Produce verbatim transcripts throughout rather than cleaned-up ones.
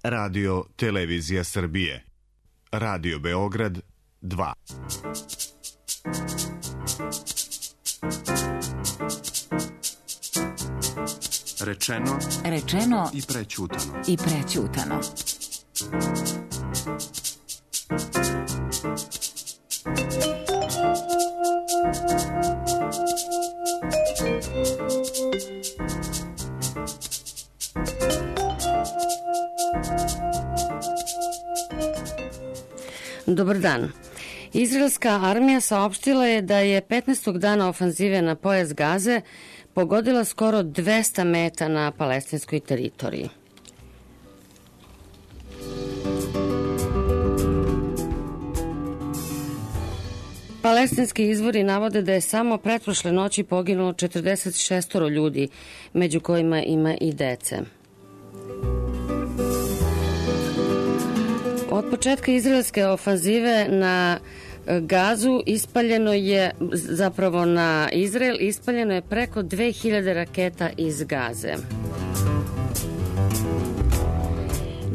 Radio Televizija Srbije. Radio Beograd dva. Rečeno, rečeno i prećutano. I prećutano. Dobar dan. Izraelska armija saopštila je da je petnaestog dana ofanzive na pojas Gaze pogodila skoro dvesta meta na palestinskoj teritoriji. Palestinski izvori navode da je samo pretprošle noći poginulo četrdeset šest ljudi, među kojima ima i dece. Od početka izraelske ofanzive na Gazu ispaljeno je, zapravo na Izrael, ispaljeno je preko dve hiljade raketa iz Gaze.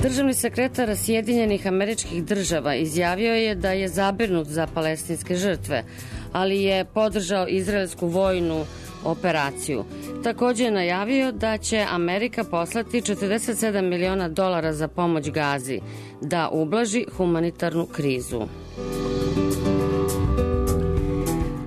Državni sekretar Sjedinjenih Američkih Država izjavio je da je zabrinut za palestinske žrtve, ali je podržao izraelsku vojnu operaciju. Takođe je najavio da će Amerika poslati četrdeset sedam miliona dolara za pomoć Gazi, da ublaži humanitarnu krizu.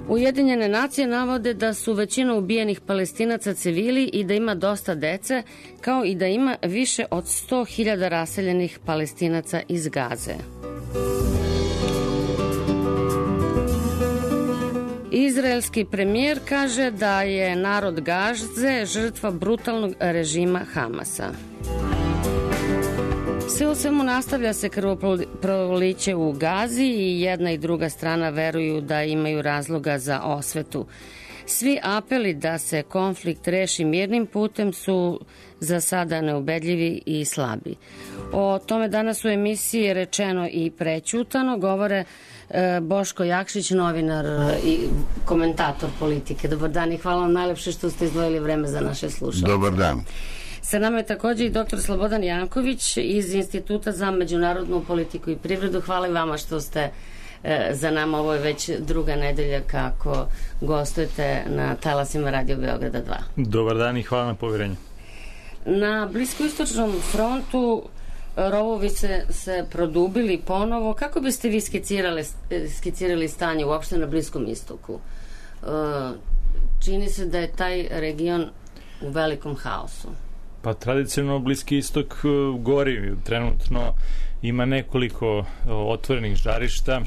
Ujedinjene nacije navode da su većina ubijenih Palestinaca civili i da ima dosta dece, kao i da ima više od sto hiljada raseljenih Palestinaca iz Gaze. Izraelski premijer kaže da je narod Gaze žrtva brutalnog režima Hamasa. Sve u svemu nastavlja se krvoproliće u Gazi i jedna i druga strana veruju da imaju razloga za osvetu. Svi apeli da se konflikt reši mirnim putem su za sada neubedljivi i slabi. O tome danas u emisiji Rečeno i prećutano govore Boško Jakšić, novinar i komentator politike. Dobar dan i hvala vam najlepše što ste izdvojili vreme za naše slušalce. Dobar dan. Sa nama je takođe i doktor Slobodan Janković iz Instituta za međunarodnu politiku i privredu. Hvala i vama što ste e, za nama. Ovo je već druga nedelja kako gostujete na talasima Radio Beograda dva. Dobar dan i hvala na poverenju. Na Bliskoistočnom frontu rovovi se, se produbili ponovo. Kako biste vi skicirali, skicirali stanje uopšte na Bliskom istoku? E, čini se da je taj region u velikom haosu. Pa tradicionalno Bliski istok gori trenutno, ima nekoliko otvorenih žarišta.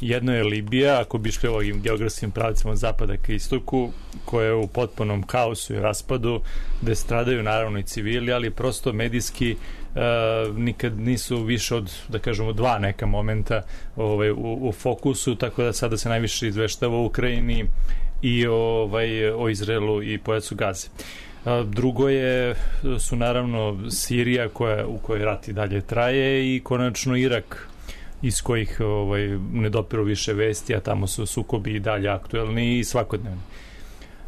Jedno je Libija, ako bi šli ovim geografskim pravicama od zapada ka istoku, koja je u potpunom haosu i raspadu, gde stradaju naravno i civili, ali prosto medijski Uh, nikad nisu više od, da kažemo, dva neka momenta ovaj, u, u fokusu, tako da sada se najviše izveštava o Ukrajini i ovaj, o Izraelu i pojasu Gaze. Uh, drugo je, su naravno Sirija koja, u kojoj rat i dalje traje i konačno Irak iz kojih ovaj, ne dopiru više vesti, a tamo su sukobi i dalje aktuelni i svakodnevni.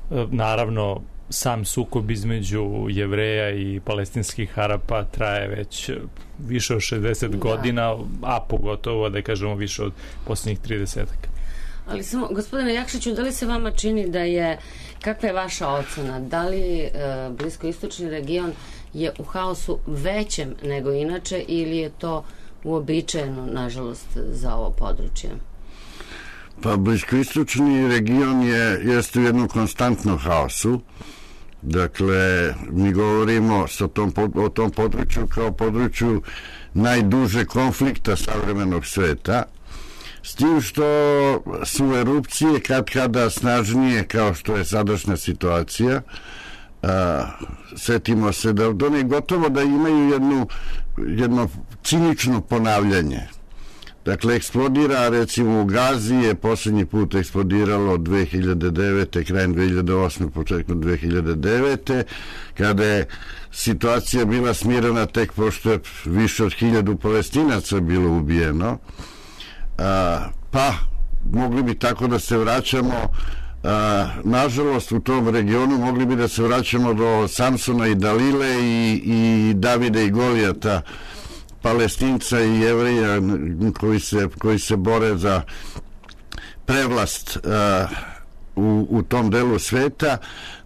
Uh, naravno sam sukob između Jevreja i palestinskih Arapa traje već više od šezdeset da. godina, a pogotovo, da kažemo, više od posljednjih tridesetaka. Ali samo, gospodine Jakšiću, da li se vama čini da je, kakva je vaša ocena, da li e, bliskoistočni region je u haosu većem nego inače ili je to uobičajeno, nažalost, za ovo područje? Pa bliskoistočni region je, jeste u jednom konstantnom haosu. Dakle, mi govorimo sa tom, o tom području kao području najduže konflikta savremenog sveta, s tim što su erupcije kad kada snažnije kao što je sadašnja situacija. A, setimo se da od one gotovo da imaju jednu, jedno cinično ponavljanje. Dakle, eksplodira, recimo u Gazi je poslednji put eksplodiralo dve hiljade devete, krajem dve hiljade osme, početkom dve hiljade devete, kada je situacija bila smirena tek pošto je više od hiljadu Palestinaca bilo ubijeno. A, pa, mogli bi tako da se vraćamo, a, nažalost u tom regionu mogli bi da se vraćamo do Samsona i Dalile i, i Davida i Golijata, Palestinca i Jevrija koji se, koji se bore za prevlast uh, u, u tom delu sveta.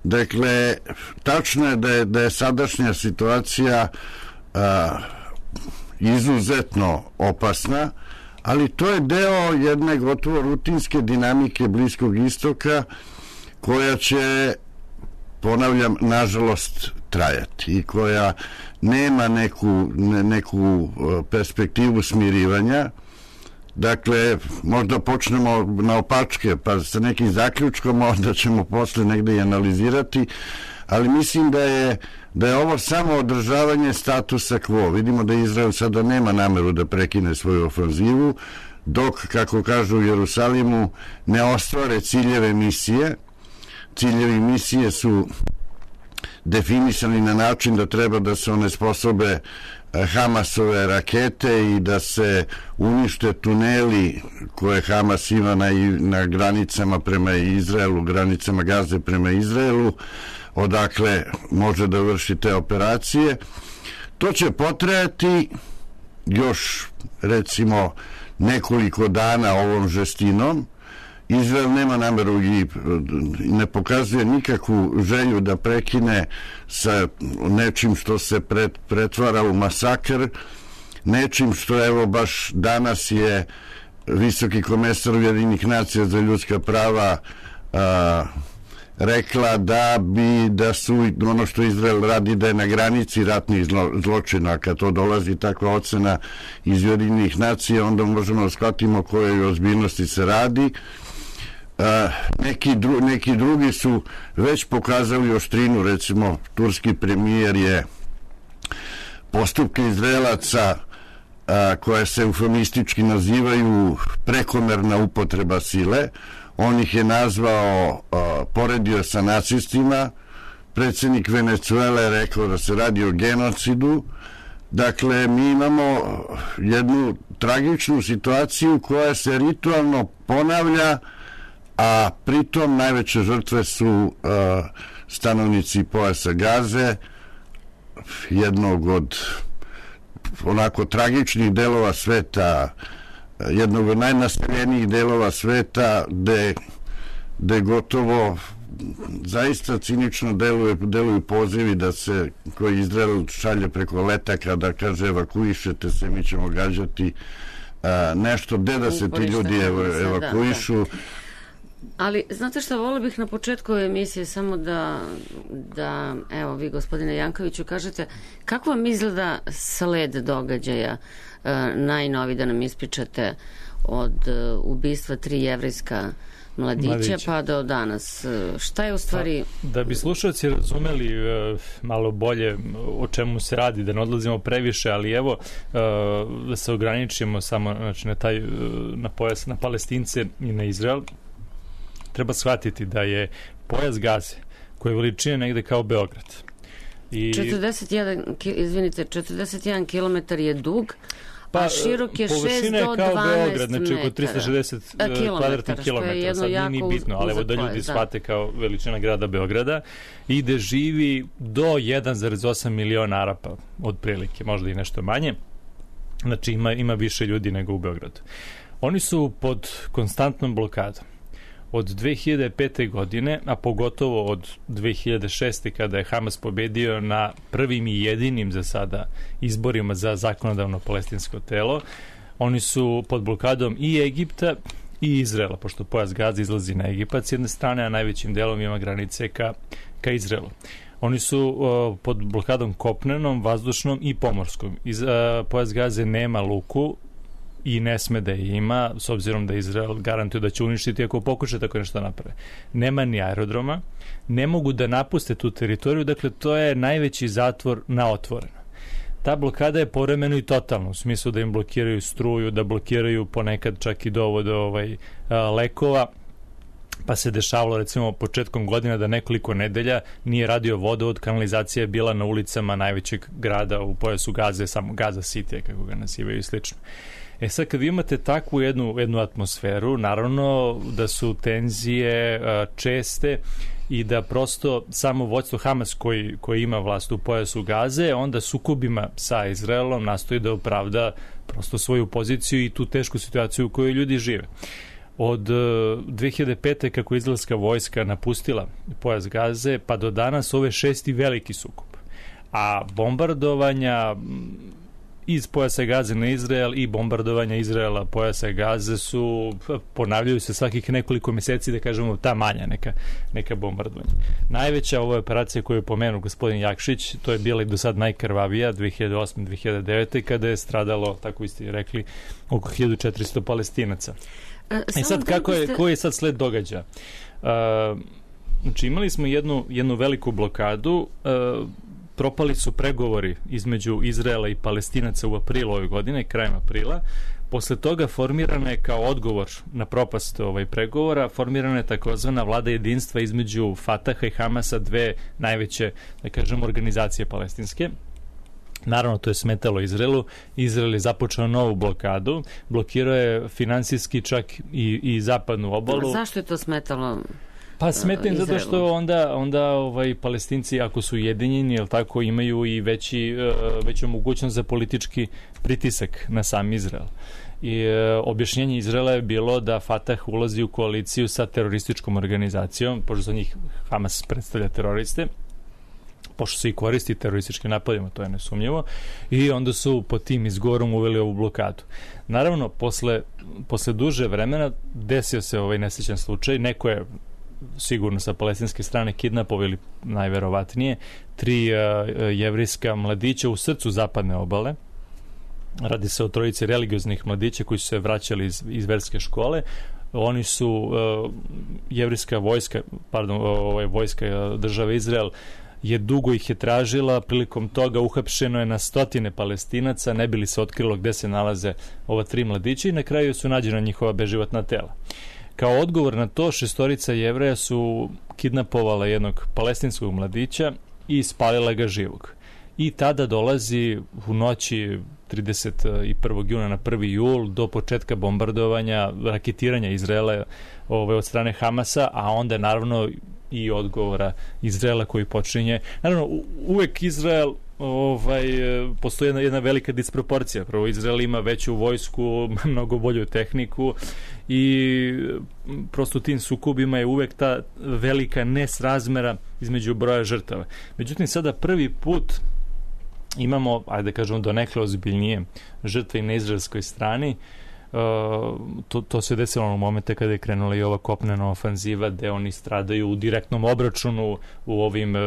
Dakle, tačno je da je, da je sadašnja situacija uh, izuzetno opasna, ali to je deo jedne gotovo rutinske dinamike Bliskog istoka koja će, ponavljam, nažalost trajati i koja nema neku, ne, neku perspektivu smirivanja. Dakle, možda počnemo na opačke pa sa nekim zaključkom, onda ćemo posle negde i analizirati, ali mislim da je, da je ovo samo održavanje statusa quo. Vidimo da Izrael sada nema nameru da prekine svoju ofanzivu, dok, kako kažu u Jerusalimu, ne ostvare ciljeve misije. Ciljevi misije su definisani na način da treba da se onesposobe Hamasove rakete i da se unište tuneli koje Hamas ima na, na granicama prema Izraelu, granicama Gaze prema Izraelu, odakle može da vrši te operacije. To će potrajati još, recimo, nekoliko dana ovom žestinom. Izrael nema nameru i ne pokazuje nikakvu želju da prekine sa nečim što se pret, pretvara u masakr, nečim što, evo, baš danas je visoki komesar Ujedinjenih nacija za ljudska prava a, rekla da bi, da su ono što Izrael radi da je na granici ratnih zlo, zločina. Kad to dolazi takva ocena iz Ujedinjenih nacija, onda možemo da shvatimo o kojoj ozbiljnosti se radi. Uh, neki, dru, neki drugi su već pokazali oštrinu. Recimo, turski premijer je postupke Izraelaca uh, koje se eufemistički nazivaju prekomerna upotreba sile, on ih je nazvao, uh, poredio sa nacistima. Predsjednik Venecuele je rekao da se radi o genocidu. Dakle, mi imamo jednu tragičnu situaciju koja se ritualno ponavlja, a pritom najveće žrtve su uh, stanovnici pojasa Gaze, jednog od onako tragičnih delova sveta, jednog od najnaseljenijih delova sveta, gde, gde gotovo zaista cinično deluju, deluju pozivi da se, koji Izrael šalje preko letaka, da kaže evakuišete se, mi ćemo gađati uh, nešto, gde da se ti ljudi ev, evakuišu. Ali, znate šta, volio bih na početku emisije samo da, da, evo, vi, gospodine Jankoviću, kažete kako vam izgleda sled događaja e, najnovi, da nam ispričate od e, ubistva tri jevrejska mladića, mladića pa do danas. Šta je u stvari... Pa, da bi slušalci razumeli e, malo bolje o čemu se radi, da ne odlazimo previše, ali evo, e, da se ograničimo samo, znači, na taj, na pojas, na Palestince i na Izrael. Treba shvatiti da je pojas Gaze, koji je veličine negde kao Beograd. I četrdeset jedan, izvinite, četrdeset jedan kilometar je dug, pa, a širok je šest do dvanaest Beograd, znači oko trista šezdeset kvadratnih kilometara, sad nije ni bitno, ali evo da ljudi shvate kao veličina grada Beograda, i gde živi do jedan zarez osam miliona Arapa, otprilike, možda i nešto manje, znači ima, ima više ljudi nego u Beogradu. Oni su pod konstantnom blokadom od dve hiljade pete. godine, a pogotovo od dve hiljade šeste. kada je Hamas pobedio na prvim i jedinim za sada izborima za zakonodavno palestinsko telo. Oni su pod blokadom i Egipta i Izraela, pošto pojas Gaze izlazi na Egipat s jedne strane, a najvećim delom ima granice ka, ka Izraelu. Oni su uh, pod blokadom kopnenom, vazdušnom i pomorskom. Iz, uh, pojas Gaze nema luku i ne sme da je ima, s obzirom da Izrael garantuje da će uništiti ako pokuša tako nešto naprave. Nema ni aerodroma, ne mogu da napuste tu teritoriju, dakle to je najveći zatvor na otvoreno. Ta blokada je povremeno i totalna, u smislu da im blokiraju struju, da blokiraju ponekad čak i dovod ovaj, a, lekova, pa se dešavalo recimo početkom godina da nekoliko nedelja nije radio vodovod, kanalizacija je bila na ulicama najvećeg grada u pojasu Gaze, samo Gaza City, kako ga nazivaju i slično. E sad, kad vi imate takvu jednu, jednu atmosferu, naravno da su tenzije a, česte i da prosto samo vođstvo Hamas koji, koji ima vlast u pojasu Gaze, onda sukobima sa Izraelom nastoji da opravda prosto svoju poziciju i tu tešku situaciju u kojoj ljudi žive. Od dve hiljade pete kako je izraelska vojska napustila pojas Gaze, pa do danas ove šesti veliki sukob. A bombardovanja iz pojasa Gaze na Izrael i bombardovanja Izraela pojasa Gaze su, ponavljaju se svakih nekoliko meseci, da kažemo, ta manja neka, neka bombardovanja. Najveća ova operacija koju je pomenuo gospodin Jakšić, to je bila i do sad najkrvavija, dve hiljade osme dve hiljade devete kada je stradalo, tako ste rekli, oko hiljadu četiristo Palestinaca. I sad, kako je, koji je sad sled događaja? Uh, znači, imali smo jednu, jednu veliku blokadu, uh, propali su pregovori između Izraela i Palestinaca u aprilu ove godine, krajem aprila. Posle toga formirana je kao odgovor na propast ovaj pregovora, formirana je takozvana vlada jedinstva između Fataha i Hamasa, dve najveće, da kažem, organizacije palestinske. Naravno, to je smetalo Izraelu. Izrael je započeo novu blokadu, blokirao je finansijski čak i, i zapadnu obalu. Zašto je to smetalo? Pa smetam zato što onda, onda ovaj, Palestinci, ako su ujedinjeni, jel tako, imaju i veći, veću mogućnost za politički pritisak na sam Izrael. I e, objašnjenje Izraela je bilo da Fatah ulazi u koaliciju sa terorističkom organizacijom, pošto za njih Hamas predstavlja teroriste, pošto se i koristi terorističkim napadima, to je nesumnjivo, i onda su pod tim izgovorom uveli ovu blokadu. Naravno, posle, posle duže vremena desio se ovaj nesrećan slučaj, neko je sigurno sa palestinske strane kidnapovao ili najverovatnije tri uh, jevrijska mladića u srcu zapadne obale. Radi se o trojici religioznih mladića koji su se vraćali iz, iz verske škole. Oni su uh, jevrijska vojska, pardon, ovaj vojska države Izrael je dugo ih je tražila, prilikom toga uhapšeno je na stotine Palestinaca, ne bi li se otkrilo gde se nalaze ova tri mladića i na kraju su nađena njihova beživotna tela. Kao odgovor na to, šestorica Jevreja su kidnapovala jednog palestinskog mladića i spalila ga živog. I tada dolazi u noći trideset prvog juna na prvi jul do početka bombardovanja, raketiranja Izraela ovaj, od strane Hamasa, a onda naravno i odgovora Izraela koji počinje. Naravno, uvek Izrael ovaj, postoji jedna, jedna velika disproporcija. Prvo, Izrael ima veću vojsku, mnogo bolju tehniku i prosto tim sukobima je uvek ta velika nesrazmera između broja žrtava. Međutim, sada prvi put imamo, ajde da kažemo, donekle ozbiljnije žrtve i na izraelskoj strani. Uh, to, to se desilo u momente kada je krenula i ova kopnena ofanziva gde oni stradaju u direktnom obračunu u ovim uh,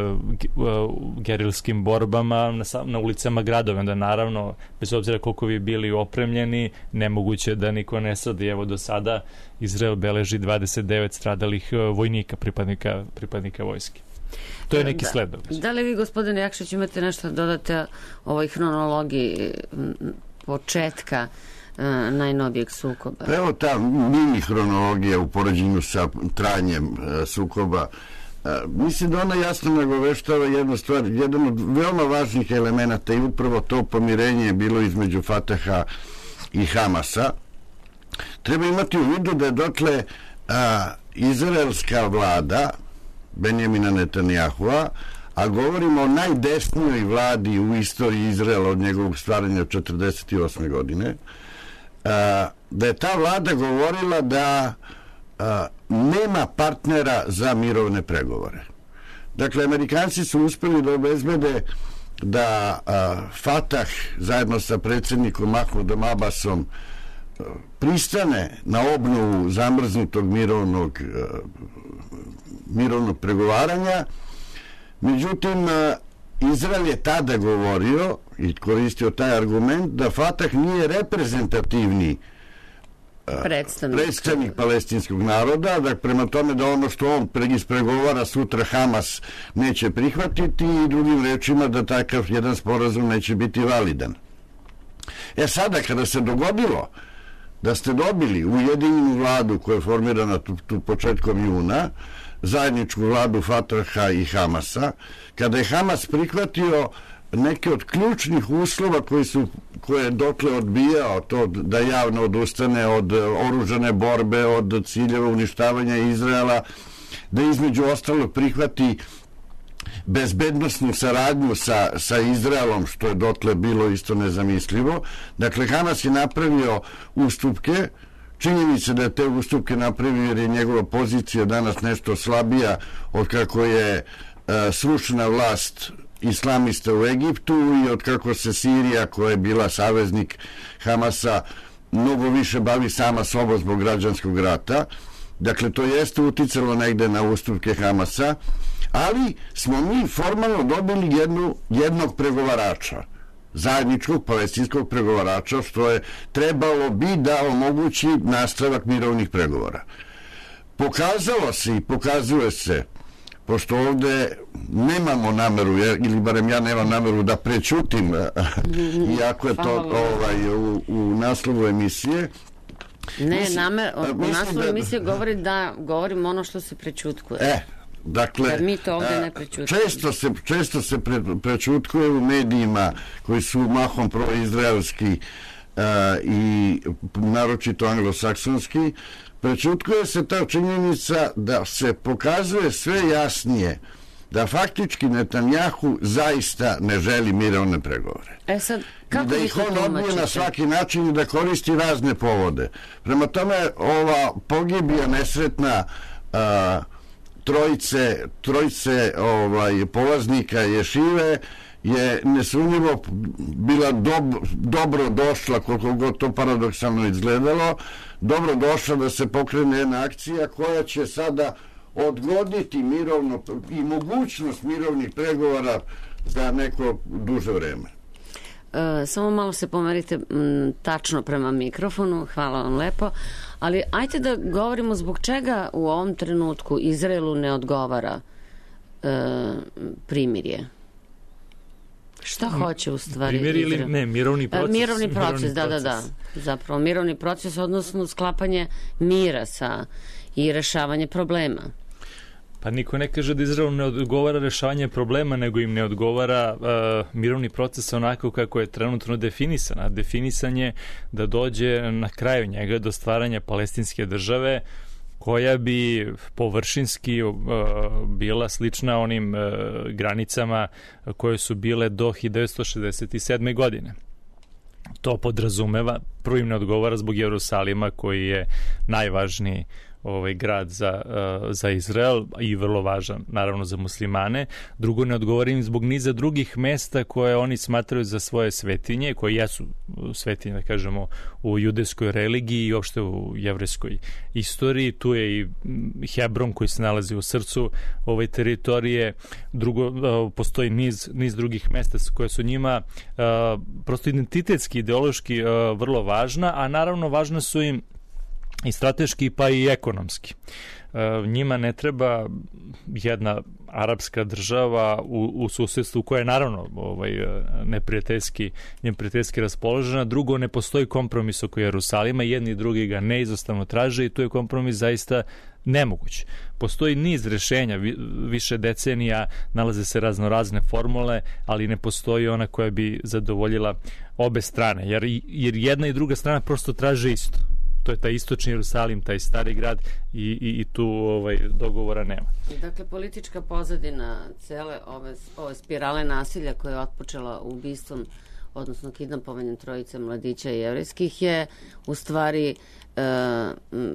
uh, gerilskim borbama na, na ulicama gradova. Onda naravno, bez obzira koliko vi bili opremljeni, nemoguće da niko ne strada. Evo do sada Izrael beleži dvadeset devet stradalih uh, vojnika, pripadnika, pripadnika vojske. To je neki da, sled događaja. Da li vi, gospodine Jakšić, imate nešto da dodate ovoj hronologiji početka najnovijeg sukoba? Evo ta mini hronologija u poređenju sa trajanjem e, sukoba. E, mislim da ona jasno nagoveštava jednu stvar, jedan od veoma važnih elemenata i upravo to pomirenje je bilo između Fataha i Hamasa. Treba imati u vidu da je dotle a, izraelska vlada Benjamina Netanjahua, a govorimo o najdesnijoj vladi u istoriji Izraela od njegovog stvaranja od četrdeset osme godine, da je ta vlada govorila da a, nema partnera za mirovne pregovore. Dakle, Amerikanci su uspeli da obezbede da a, Fatah zajedno sa predsjednikom Mahmudom Abbasom a, pristane na obnovu zamrznutog mirovnog, a, mirovnog pregovaranja. Međutim, a, Izrael je tada govorio i koristio taj argument da Fatah nije reprezentativni predstavnik, predstavnik palestinskog naroda, da prema tome da ono što on ispregovara sutra Hamas neće prihvatiti i drugim rečima da takav jedan sporazum neće biti validan. E sada kada se dogodilo da ste dobili ujedinjenu vladu koja je formirana tu, tu početkom juna, zajedničku vladu Fataha i Hamasa, kada je Hamas prihvatio neke od ključnih uslova koji su, koje je dokle odbijao, to da javno odustane od oružane borbe, od ciljeva uništavanja Izraela, da između ostalo prihvati bezbednosnu saradnju sa, sa Izraelom, što je dotle bilo isto nezamislivo. Dakle, Hamas je napravio ustupke. Činjenica da je te ustupke napravio jer je njegova pozicija danas nešto slabija od kako je uh, srušena vlast islamista u Egiptu i od kako se Sirija, koja je bila saveznik Hamasa, mnogo više bavi sama sobom zbog građanskog rata. Dakle, to jeste uticalo negde na ustupke Hamasa, ali smo mi formalno dobili jednu, jednog pregovarača, zajedničkog palestinskog pregovarača, što je trebalo bi da omogući nastavak mirovnih pregovora. Pokazalo se i pokazuje se, pošto ovde nemamo nameru, ili barem ja nemam nameru da prećutim, iako je to ovaj, u, u naslovu emisije. Ne, mislim, namer, u naslovu emisije govori da govorim ono što se prećutkuje. E, dakle, jer mi to ovde ne prećutkujemo. Često se, često se pre, prećutkuje u medijima koji su mahom proizraelski uh, i naročito anglosaksonski. Prećutkuje se ta činjenica da se pokazuje sve jasnije da faktički Netanjahu zaista ne želi mirovne pregovore. E sad, kako i da ih on odbije na svaki način i da koristi razne povode. Prema tome, ova pogibija nesretna uh, trojice, trojice ovaj, polaznika ješive je nesumnjivo bila dob, dobro došla, koliko god to paradoksalno izgledalo, dobro došla da se pokrene jedna akcija koja će sada odgoditi mirovno i mogućnost mirovnih pregovora za neko duže vreme. E, samo malo se pomerite m, tačno prema mikrofonu, hvala vam lepo, ali ajte da govorimo zbog čega u ovom trenutku Izraelu ne odgovara e, primirje. Šta hoće u stvari? Primjer ili ne, mirovni proces. E, mirovni proces, mirovni da, proces. da, da. Zapravo mirovni proces, odnosno sklapanje mira sa i rešavanje problema. Pa niko ne kaže da Izraelu ne odgovara rešavanje problema, nego im ne odgovara uh, mirovni proces onako kako je trenutno definisan. A definisan je da dođe na kraju njega do stvaranja palestinske države koja bi površinski uh, bila slična onim uh, granicama koje su bile do hiljadu devetsto šezdeset sedme. godine. To podrazumeva, prvo im ne odgovara zbog Jerusalima koji je najvažniji ovaj grad za, uh, za Izrael i vrlo važan naravno za muslimane. Drugo, ne odgovorim zbog niza drugih mesta koje oni smatraju za svoje svetinje, koje jesu svetinje, da kažemo, u judejskoj religiji i uopšte u jevrejskoj istoriji. Tu je i Hebron koji se nalazi u srcu ove teritorije. Drugo, uh, postoji niz, niz drugih mesta koje su njima uh, prosto identitetski, ideološki uh, vrlo važna, a naravno važna su im i strateški pa i ekonomski. E, njima ne treba jedna arapska država u, u susedstvu koja je naravno ovaj, neprijateljski, neprijateljski raspoložena. Drugo, ne postoji kompromis oko Jerusalima, jedni i drugi ga neizostavno traže i tu je kompromis zaista nemoguć. Postoji niz rešenja, više decenija, nalaze se razno razne formule, ali ne postoji ona koja bi zadovoljila obe strane, jer, jer jedna i druga strana prosto traže isto. To je taj istočni Jerusalim, taj stari grad i, i, i tu ovaj, dogovora nema. Dakle, politička pozadina cele ove, ove spirale nasilja koje je otpočela ubistvom, odnosno kidnapovanjem trojice mladića jevrejskih je u stvari e,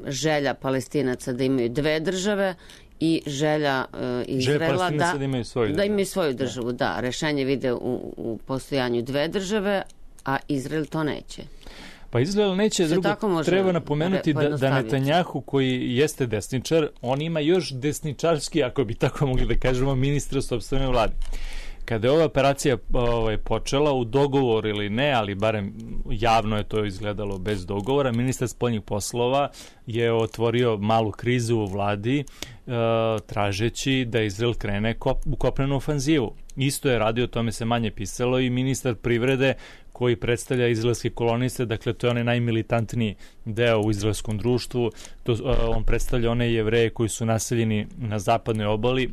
želja Palestinaca da imaju dve države i želja e, Izraela da, da imaju svoju, da imaju svoju državu. Da, da rešenje vide u, u postojanju dve države, a Izrael to neće. Pa Izrael neće, drugo, treba napomenuti da, da Netanjahu koji jeste desničar, on ima još desničarski, ako bi tako mogli da kažemo, ministra sopstvene vlade. Kada je ova operacija ovaj, počela u dogovor ili ne, ali barem javno je to izgledalo bez dogovora, ministar spoljnih poslova je otvorio malu krizu u vladi uh, tražeći da Izrael krene kop, u kopnenu ofanzivu. Isto je radio, o tome se manje pisalo, i ministar privrede koji predstavlja izraelske koloniste, dakle to je onaj najmilitantniji deo u izraelskom društvu, to, uh, on predstavlja one Jevreje koji su naseljeni na zapadnoj obali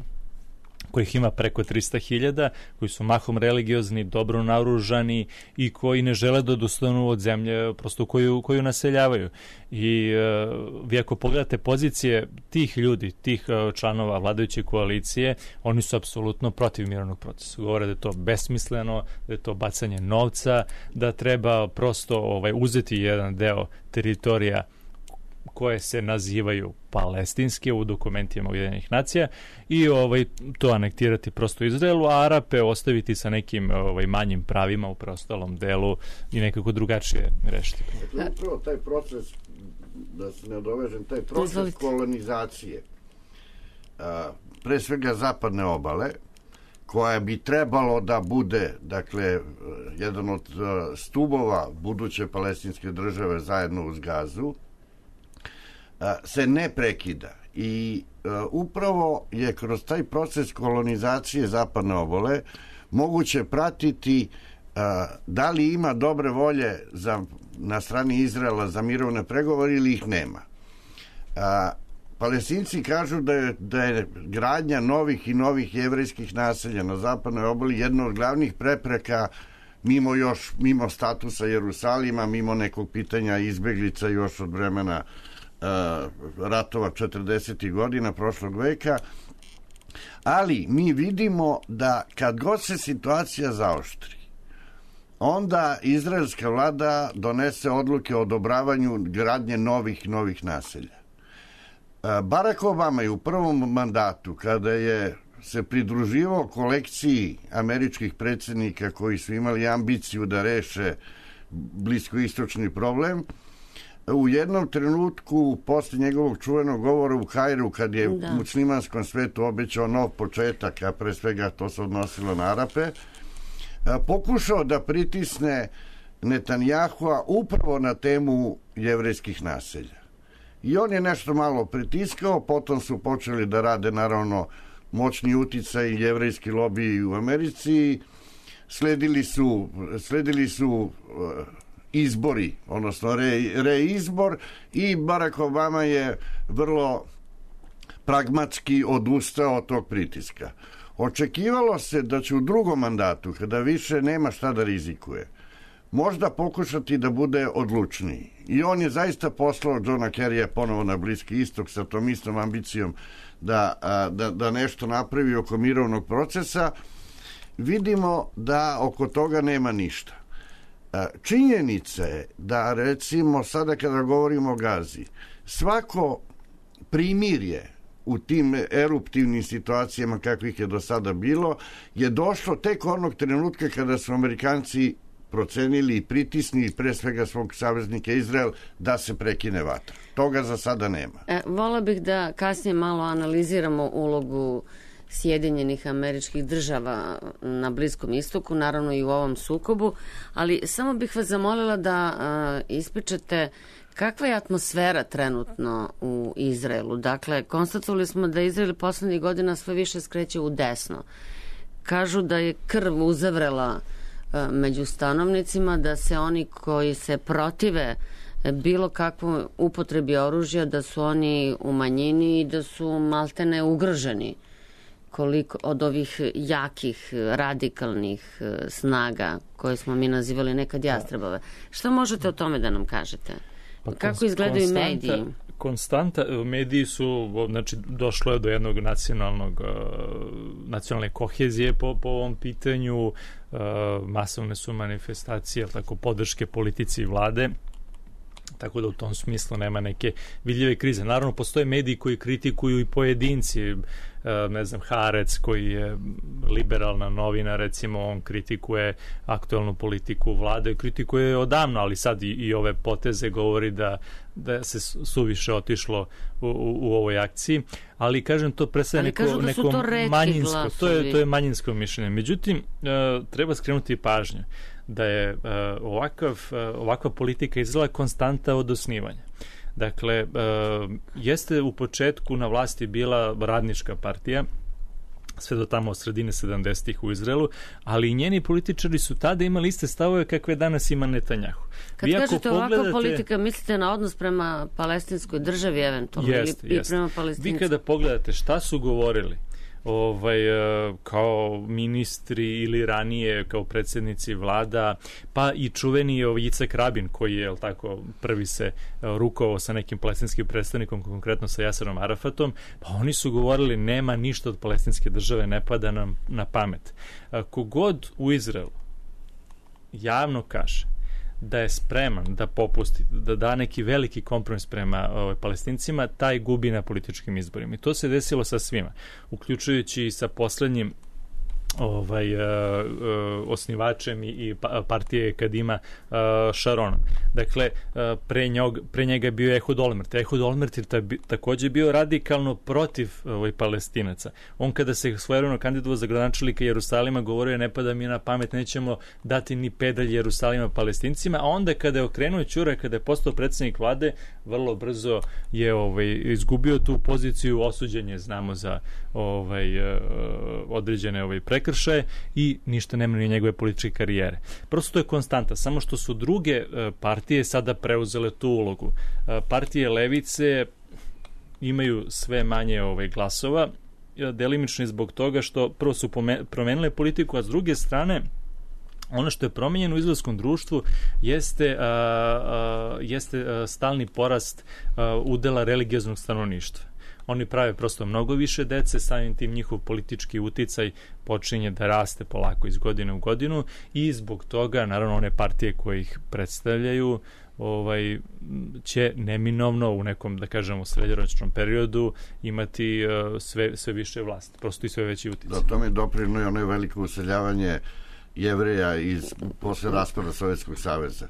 kojih ima preko trista hiljada, koji su mahom religiozni, dobro naoružani i koji ne žele da odustanu od zemlje prosto koju, koju naseljavaju. I e, vi ako pogledate pozicije tih ljudi, tih e, članova vladajuće koalicije, oni su apsolutno protiv mirovnog procesa. Govore da je to besmisleno, da je to bacanje novca, da treba prosto ovaj, uzeti jedan deo teritorija koje se nazivaju palestinske u dokumentima Ujedinjenih nacija i ovaj to anektirati prosto Izraelu, a Arape ostaviti sa nekim ovaj manjim pravima u preostalom delu i nekako drugačije rešiti. Dakle, upravo taj proces, da se ne dovežem, taj proces kolonizacije, a, pre svega zapadne obale, koja bi trebalo da bude, dakle, jedan od stubova buduće palestinske države zajedno uz Gazu, se ne prekida. I uh, upravo je kroz taj proces kolonizacije zapadne obale moguće pratiti uh, da li ima dobre volje za, na strani Izraela za mirovne pregovore ili ih nema. Uh, Palestinci kažu da je, da je gradnja novih i novih jevrejskih naselja na zapadnoj obali jedna od glavnih prepreka mimo još, mimo statusa Jerusalima, mimo nekog pitanja izbeglica još od vremena ratova četrdesetih godina prošlog veka, ali mi vidimo da kad god se situacija zaoštri, onda izraelska vlada donese odluke o odobravanju gradnje novih novih naselja. Barack Obama je u prvom mandatu, kada je se pridruživao kolekciji američkih predsjednika koji su imali ambiciju da reše bliskoistočni problem, u jednom trenutku, posle njegovog čuvenog govora u Kairu, kad je da. muslimanskom svetu obećao nov početak, a pre svega to se odnosilo na Arape, pokušao da pritisne Netanjahua upravo na temu jevrejskih naselja. I on je nešto malo pritiskao, potom su počeli da rade, naravno, moćni uticaj i jevrejski lobiji u Americi, sledili su, sledili su izbori, odnosno re, reizbor i Barack Obama je vrlo pragmatski odustao od tog pritiska. Očekivalo se da će u drugom mandatu, kada više nema šta da rizikuje, možda pokušati da bude odlučniji. I on je zaista poslao Johna Kerrya ponovo na Bliski istok sa tom istom ambicijom da, da, da nešto napravi oko mirovnog procesa. Vidimo da oko toga nema ništa. Činjenica je da, recimo, sada kada govorimo o Gazi, svako primirje u tim eruptivnim situacijama kakvih je do sada bilo je došlo tek onog trenutka kada su Amerikanci procenili i pritisnili pre svega svog saveznika Izrael da se prekine vatra. Toga za sada nema. E, vola bih da kasnije malo analiziramo ulogu Sjedinjenih Američkih Država na Bliskom istoku, naravno i u ovom sukobu, ali samo bih vas zamolila da a, ispričate kakva je atmosfera trenutno u Izraelu. Dakle, konstatovali smo da Izrael poslednjih godina sve više skreće u desno. Kažu da je krv uzavrela a, među stanovnicima, da se oni koji se protive bilo kakvom upotrebi oružja, da su oni u manjini i da su maltene ugroženi koliko od ovih jakih, radikalnih snaga koje smo mi nazivali nekad jastrebove. Šta možete o tome da nam kažete? Pa kako izgledaju mediji? Konstanta, mediji su, znači, došlo je do jednog nacionalnog, nacionalne kohezije po, po ovom pitanju, masovne su manifestacije, tako, podrške politici i vlade, tako da u tom smislu nema neke vidljive krize. Naravno, postoje mediji koji kritikuju i pojedinci, ne znam, Haaretz koji je liberalna novina, recimo, on kritikuje aktualnu politiku vlade, kritikuje odavno, ali sad i, i ove poteze govori da, da se suviše otišlo u, u, u ovoj akciji, ali kažem, to predstavlja neko, da neko to manjinsko, to je, to je manjinsko mišljenje. Međutim, treba skrenuti pažnju da je uh, ovakav, uh, ovakva politika Izraela konstanta od osnivanja. Dakle, uh, jeste u početku na vlasti bila radnička partija, sve do tamo od sredine sedamdesetih u Izraelu, ali i njeni političari su tada imali iste stavove kakve danas ima Netanjahu. Kad vi kažete pogledate, ovakva politika, mislite na odnos prema palestinskoj državi eventualno jest, ili jest. prema palestincima? Vi kada pogledate šta su govorili ovaj, kao ministri ili ranije kao predsjednici vlada, pa i čuveni Jicek Rabin koji je, jel tako, prvi se rukovao sa nekim palestinskim predstavnikom, konkretno sa Jaserom Arafatom, pa oni su govorili nema ništa od palestinske države, ne pada nam na pamet. Kogod u Izraelu javno kaže da je spreman da popusti, da da neki veliki kompromis prema ovaj, Palestincima, taj gubi na političkim izborima. I to se desilo sa svima, uključujući i sa poslednjim ovaj, uh, uh, osnivačem i, i partije Kadima uh, Sharonom. Dakle, uh, pre, njog, pre njega je bio Ehud Olmert. Ehud Olmert je ta, takođe bio radikalno protiv ovaj, Palestinaca. On kada se svojevremeno kandidovao za gradonačelnika Jerusalima govorio ne pada mi na pamet, nećemo dati ni pedalj Jerusalima Palestincima, a onda kada je okrenuo ćura, kada je postao predsjednik vlade, vrlo brzo je ovaj, izgubio tu poziciju, osuđen je, znamo, za ovaj, uh, određene ovaj, prekršaje i ništa nema ni njegove političke karijere. Prosto to je konstanta, samo što su druge uh, partije sada preuzele tu ulogu. Uh, partije levice imaju sve manje ovaj, glasova, delimično zbog toga što prvo su promenile politiku, a s druge strane ono što je promenjeno u izraelskom društvu jeste, a, a, jeste a, stalni porast a, udela religioznog stanovništva. Oni prave prosto mnogo više dece, samim tim njihov politički uticaj počinje da raste polako iz godine u godinu i zbog toga, naravno, one partije koje ih predstavljaju ovaj, će neminovno u nekom, da kažemo, srednjoročnom periodu imati uh, sve, sve više vlast, prosto i sve veći uticaj. Da, tome doprino je ono veliko useljavanje Jevreja iz, posle raspada Sovjetskog saveza.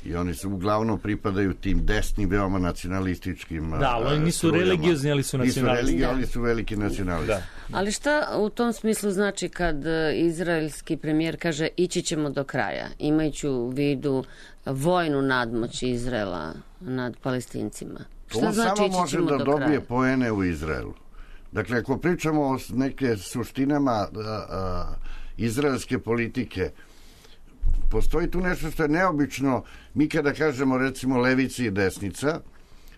I oni su uglavnom pripadaju tim desnim, veoma nacionalističkim. Da, ali oni nisu strujama. Religiozni, ali su nacionalisti. Nisu religiozni, ali su veliki nacionalisti. Da. Ali šta u tom smislu znači kad izraelski premijer kaže ići ćemo do kraja, imajući u vidu vojnu nadmoć Izraela nad Palestincima? Šta on znači samo ići može ćemo da do dobije kraja? poene u Izraelu. Dakle, ako pričamo o neke suštinama a, a, izraelske politike, postoji tu nešto što je neobično. Mi kada kažemo recimo levica i desnica,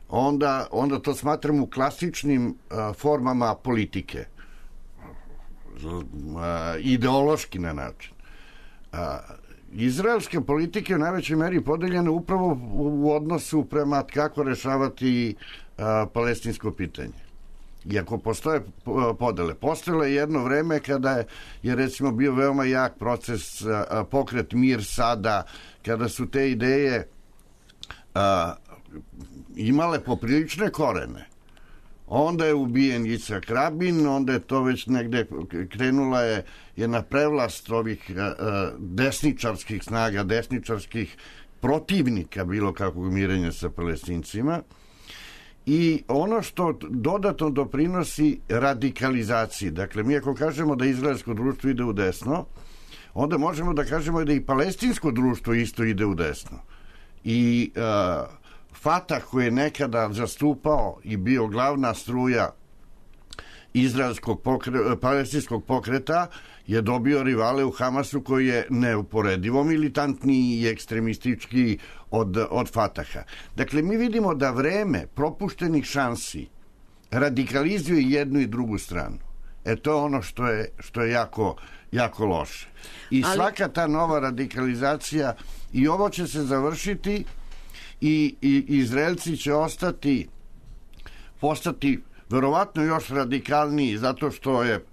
onda, onda to smatramo klasičnim a, formama politike. A, ideološki na način. A, izraelske politike u najvećoj meri podeljene upravo u, u odnosu prema kako rešavati a, palestinsko pitanje. Iako postoje podele. Postojalo je jedno vreme kada je, je recimo bio veoma jak proces a, pokret Mir Sada, kada su te ideje a, imale poprilične korene. Onda je ubijen Jicek Rabin, onda je to već negde krenula je jedna prevlast ovih a, a, desničarskih snaga, desničarskih protivnika bilo kakvog mirenja sa Palestincima. I ono što dodatno doprinosi radikalizaciji, dakle mi ako kažemo da izraelsko društvo ide u desno, onda možemo da kažemo da i palestinsko društvo isto ide u desno. I uh, Fatah koji je nekada zastupao i bio glavna struja izraelskog pokre, palestinskog pokreta je dobio rivale u Hamasu koji je neuporedivo militantniji i ekstremistički od, od Fataha. Dakle, mi vidimo da vreme propuštenih šansi radikalizuje jednu i drugu stranu. E to je ono što je, što je jako, jako loše. I Ali... svaka ta nova radikalizacija, i ovo će se završiti i, i Izraelci će ostati, postati verovatno još radikalniji zato što je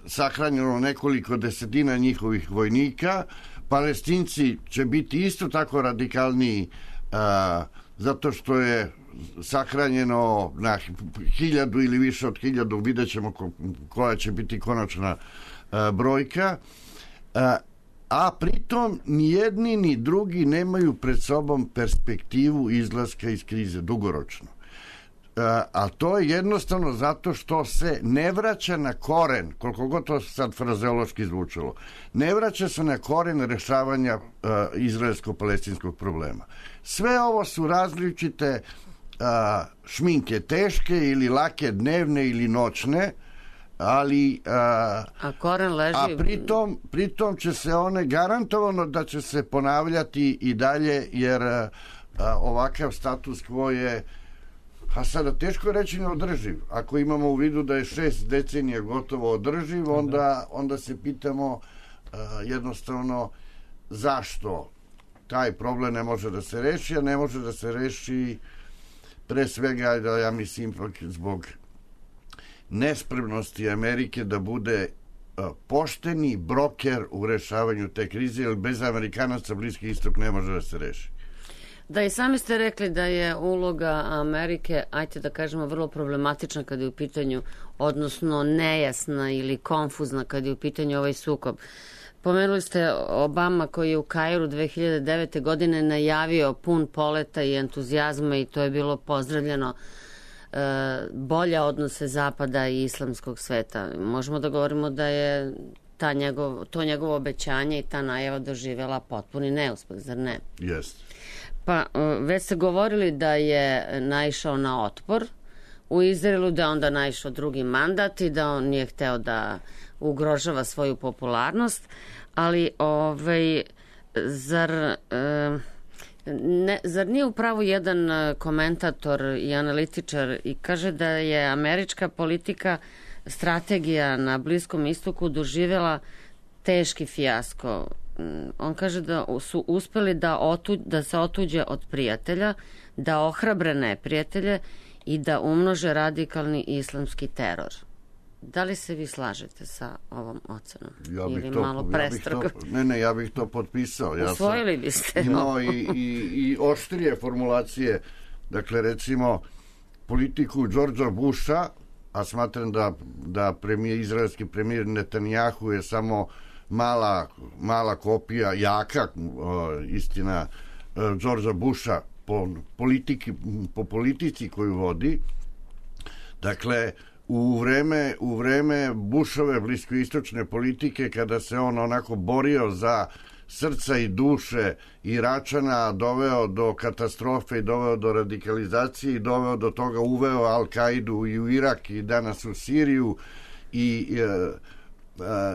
sahranjeno nekoliko desetina njihovih vojnika. Palestinci će biti isto tako radikalniji a, zato što je sahranjeno na hiljadu ili više od hiljadu, vidjet ćemo ko, koja će biti konačna a, brojka. A, a pritom ni jedni ni drugi nemaju pred sobom perspektivu izlaska iz krize dugoročno. A to je jednostavno zato što se ne vraća na koren, koliko god to sad frazeološki zvučalo, ne vraća se na koren rešavanja uh, izraelsko-palestinskog problema. Sve ovo su različite uh, šminke, teške ili lake, dnevne ili noćne, ali uh, a koren leži... a pritom, pritom će se one garantovano da će se ponavljati i dalje, jer uh, ovakav status quo je A sada teško je reći neodrživ. Ako imamo u vidu da je šest decenija gotovo održiv, onda, onda se pitamo uh, jednostavno zašto taj problem ne može da se reši, a ne može da se reši pre svega, da ja mislim, zbog nespremnosti Amerike da bude uh, pošteni broker u rešavanju te krize, jer bez Amerikanaca Bliski istok ne može da se reši. Da, i sami ste rekli da je uloga Amerike, ajte da kažemo, vrlo problematična kada je u pitanju, odnosno nejasna ili konfuzna kada je u pitanju ovaj sukob. Pomenuli ste Obama koji je u Kairu dve hiljade devete. godine najavio pun poleta i entuzijazma i to je bilo pozdravljeno, e, bolje odnose Zapada i islamskog sveta. Možemo da govorimo da je ta njegov, to njegovo obećanje i ta najava doživjela potpuni neuspeh, zar ne? Jeste. Pa, već ste govorili da je naišao na otpor u Izraelu, da je onda naišao drugi mandat i da on nije hteo da ugrožava svoju popularnost, ali ovaj, zar, ne, zar nije upravo jedan komentator i analitičar i kaže da je američka politika, strategija na Bliskom istoku doživjela teški fijasko. On kaže da su uspeli da, otu, da se otuđe od prijatelja, da ohrabre neprijatelje i da umnože radikalni islamski teror. Da li se vi slažete sa ovom ocenom? Ja bih Ili to, malo prestrogo? Ja bih to, ne, ne, ja bih to potpisao. Ja Usvojili biste. Imao i, i, i oštrije formulacije. Dakle, recimo, politiku Đorđa Busha, a smatram da, da premijer, izraelski premijer Netanjahu je samo mala, mala kopija, jaka o, istina Đorđa Busha po, politiki, po politici koju vodi. Dakle, u vreme, u vreme Bushove bliskoistočne politike, kada se on onako borio za srca i duše Iračana, doveo do katastrofe i doveo do radikalizacije i doveo do toga, uveo Al-Kaidu i u Irak i danas u Siriju i e,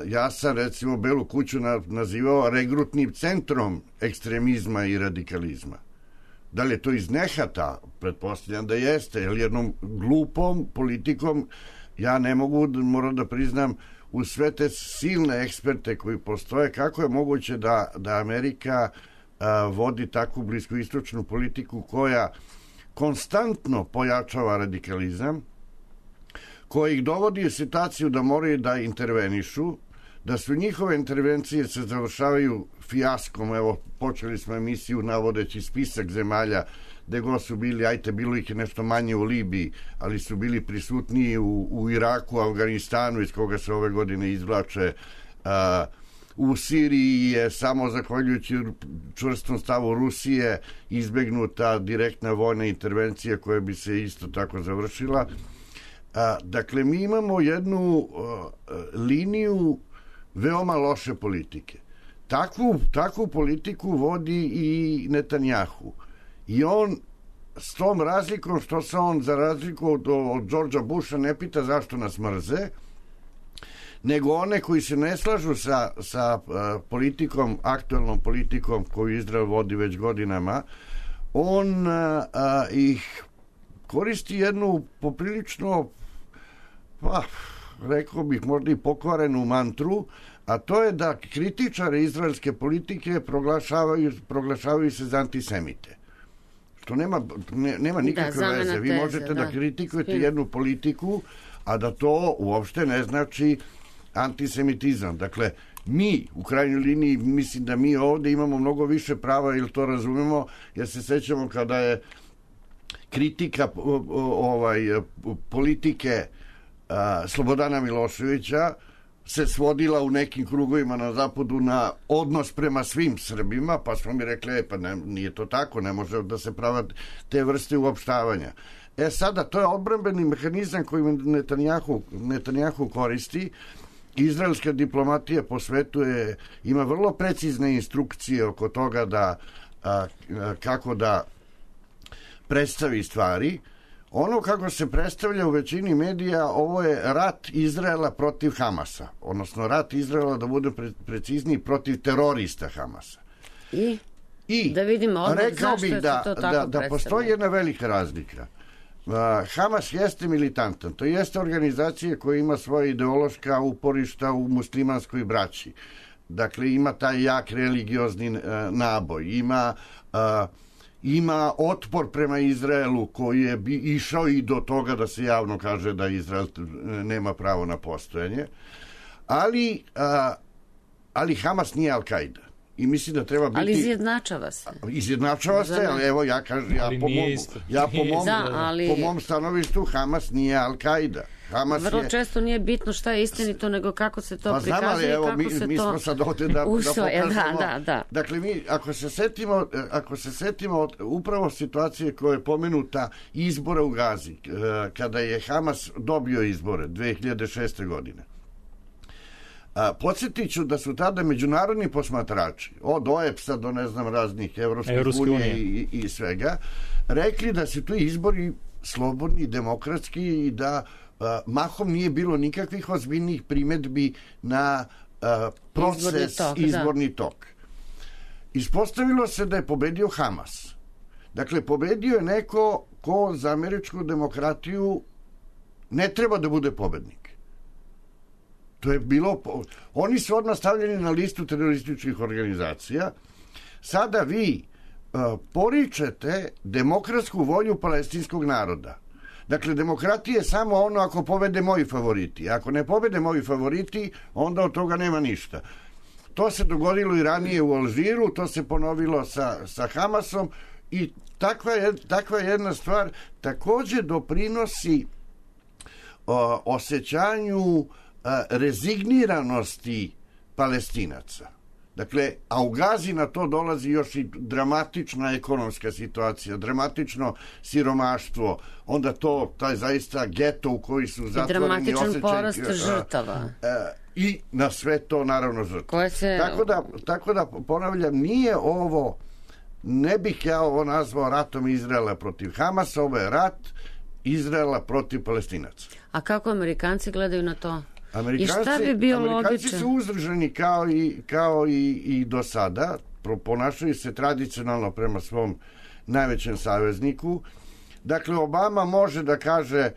ja sam recimo Belu kuću nazivao regrutnim centrom ekstremizma i radikalizma. Da li je to iz nehata? Pretpostavljam da jeste, jer jednom glupom politikom ja ne mogu, moram da priznam, u sve te silne eksperte koji postoje, kako je moguće da, da Amerika a, vodi takvu bliskoistočnu politiku koja konstantno pojačava radikalizam, koji ih dovodi u situaciju da moraju da intervenišu, da su njihove intervencije se završavaju fijaskom. Evo, počeli smo emisiju navodeći spisak zemalja gde god su bili, ajte, bilo ih je nešto manje u Libiji, ali su bili prisutniji u, u Iraku, Afganistanu, iz koga se ove godine izvlače. A, u Siriji je samo zahvaljujući čvrstom stavu Rusije izbegnuta direktna vojna intervencija koja bi se isto tako završila. A, dakle, mi imamo jednu a, liniju veoma loše politike. Takvu, takvu politiku vodi i Netanjahu. I on s tom razlikom što se on za razliku od, od Đorđa Busha ne pita zašto nas mrze, nego one koji se ne slažu sa, sa a, politikom, aktuelnom politikom koju Izrael vodi već godinama, on a, a, ih koristi jednu poprilično, pa, rekao bih možda i pokvarenu mantru, a to je da kritičari izraelske politike proglašavaju, proglašavaju se za antisemite. Što nema, ne, nema nikakve da, veze. Vi možete da, da kritikujete Spim. jednu politiku, a da to uopšte ne znači antisemitizam. Dakle, mi, u krajnjoj liniji, mislim da mi ovde imamo mnogo više prava, ili to razumemo, jer se sećamo kada je kritika ovaj, politike a, Slobodana Miloševića se svodila u nekim krugovima na zapadu na odnos prema svim Srbima, pa smo mi rekli, e, pa ne, nije to tako, ne može da se prava te vrste uopštavanja. E sada, to je odbrambeni mehanizam koji Netanjahu, Netanjahu koristi. Izraelska diplomatija po svetu je, ima vrlo precizne instrukcije oko toga da a, a, kako da predstavi stvari. Ono kako se predstavlja u većini medija, ovo je rat Izraela protiv Hamasa, odnosno rat Izraela, da bude pre, precizniji, protiv terorista Hamasa. I, I da vidimo odmah zašto je da, to tako da, da postoji jedna velika razlika. Hamas jeste militantan, to jeste organizacija koja ima svoje ideološka uporišta u muslimanskoj braći. Dakle, ima taj jak religiozni uh, naboj, ima, uh, ima otpor prema Izraelu koji je bi išao i do toga da se javno kaže da Izrael nema pravo na postojanje. Ali, uh, ali Hamas nije Al-Qaida. I mislim da treba biti... Ali izjednačava se. Izjednačava se, ali evo ja kažem, ja, po mom, ja po mom, da, ali... po mom stanovištu Hamas nije Al-Qaida. Hamas Vrlo je... često nije bitno šta je istinito, nego kako se to pa prikazuje, znam, ali, evo, kako mi, se mi to smo sad ovde da, usvoje, da pokažemo. Da, da, da. Dakle, mi, ako se setimo, ako se setimo upravo situacije koja je pomenuta izbora u Gazi, kada je Hamas dobio izbore dve hiljade šeste. godine. A, podsjetit ću da su tada međunarodni posmatrači, od O E P S-a do ne znam raznih Evropskih unije i, i svega, rekli da su tu izbori slobodni, demokratski i da a, mahom nije bilo nikakvih ozbiljnih primedbi na a, proces, izborni tok. Izborni tok. Ispostavilo se da je pobedio Hamas. Dakle, pobedio je neko ko za američku demokratiju ne treba da bude pobednik. To je bilo... Oni su odmah stavljeni na listu terorističkih organizacija. Sada vi uh, poričete demokratsku volju palestinskog naroda. Dakle, demokratija je samo ono ako pobede moji favoriti. Ako ne pobede moji favoriti, onda od toga nema ništa. To se dogodilo i ranije u Alžiru, to se ponovilo sa, sa Hamasom i takva, je, takva jedna stvar takođe doprinosi uh, osjećanju rezigniranosti Palestinaca. Dakle, a u Gazi na to dolazi još i dramatična ekonomska situacija, dramatično siromaštvo, onda to, taj zaista geto u koji su zatvoreni osjećaj... I dramatičan porast žrtava. I na sve to, naravno, žrtava. Se... Tako da, tako da, ponavljam, nije ovo, ne bih ja ovo nazvao ratom Izraela protiv Hamasa, ovo je rat Izraela protiv Palestinaca. A kako Amerikanci gledaju na to? Amerikanci, I šta bi bio Amerikanci logičan? su uzdržani kao i, kao i, i do sada, ponašaju se tradicionalno prema svom najvećem savezniku. Dakle, Obama može da kaže,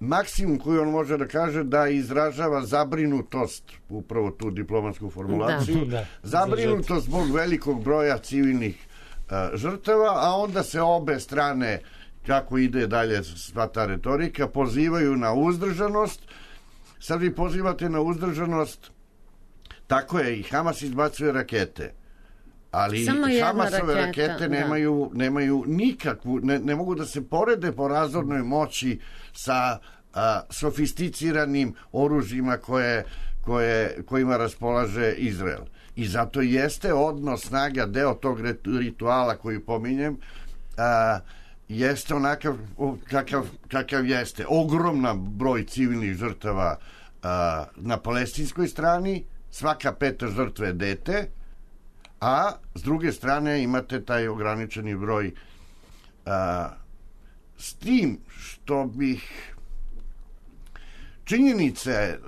maksimum koji on može da kaže, da izražava zabrinutost, upravo tu diplomatsku formulaciju, da. Da. zabrinutost zbog velikog broja civilnih uh, žrtava, a onda se obe strane, kako ide dalje sva ta retorika, pozivaju na uzdržanost. Sad vi pozivate na uzdržanost, tako je, i Hamas izbacuje rakete, ali samo Hamasove raketa, rakete nemaju, nemaju nikakvu, ne, ne mogu da se porede po razornoj moći sa a, sofisticiranim oružjima koje, koje, kojima raspolaže Izrael. I zato jeste odnos snaga, deo tog rituala koji pominjem, a, jeste onakav kakav, kakav jeste. Ogromna broj civilnih žrtava a, na palestinskoj strani, svaka peta žrtva je dete, a s druge strane imate taj ograničeni broj a, s tim što bih činjenice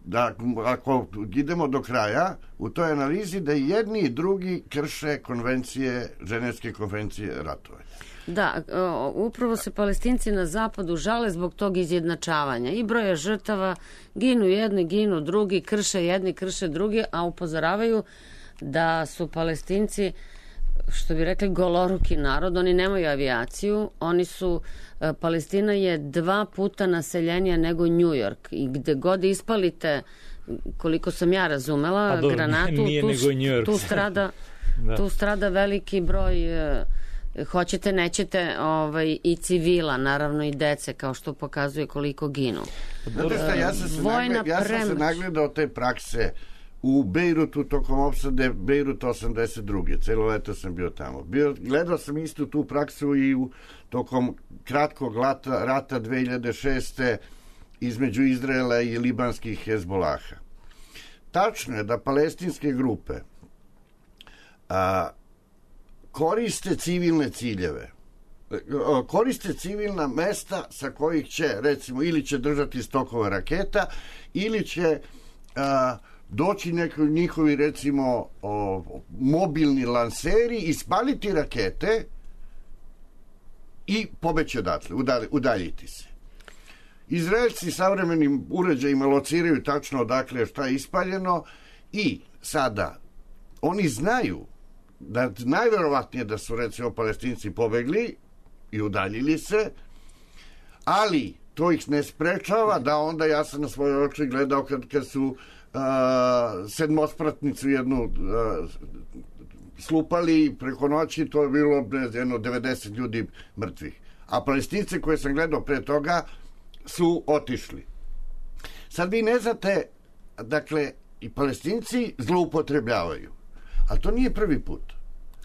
da ako idemo do kraja u toj analizi da jedni i drugi krše konvencije, ženevske konvencije ratovanja. Da, upravo se Palestinci na zapadu žale zbog tog izjednačavanja i broja žrtava, ginu jedni, ginu drugi, krše jedni, krše drugi, a upozoravaju da su Palestinci, što bi rekli, goloruki narod, oni nemaju avijaciju, oni su, Palestina je dva puta naseljenija nego New York i gde god ispalite, koliko sam ja razumela, dobro, granatu, tu, tu, strada, da. tu strada veliki broj, hoćete, nećete, ovaj, i civila, naravno i dece, kao što pokazuje koliko ginu. Znate šta, ja sam se, nagled, ja sam se nagledao te prakse u Bejrutu tokom opsade Bejruta osamdeset druge. Celo leto sam bio tamo. Bio, gledao sam istu tu praksu i u, tokom kratkog lata, rata dve hiljade šeste. između Izraela i libanskih Hezbolaha. Tačno je da palestinske grupe a, koriste civilne ciljeve, koriste civilna mesta sa kojih će, recimo, ili će držati stokove raketa, ili će a, doći neki njihovi, recimo, o, mobilni lanseri, ispaliti rakete i pobeći odatle, udaljiti se. Izraelci savremenim uređajima lociraju tačno odakle šta je ispaljeno i sada oni znaju da najverovatnije da su recimo Palestinci pobegli i udaljili se, ali to ih ne sprečava da onda, ja sam na svoje oči gledao kad, kad su uh, sedmospratnicu jednu uh, slupali preko noći, to je bilo jedno devedeset ljudi mrtvih. A Palestince koje sam gledao pre toga su otišli. Sad vi ne znate, dakle, i Palestinci zloupotrebljavaju. A to nije prvi put.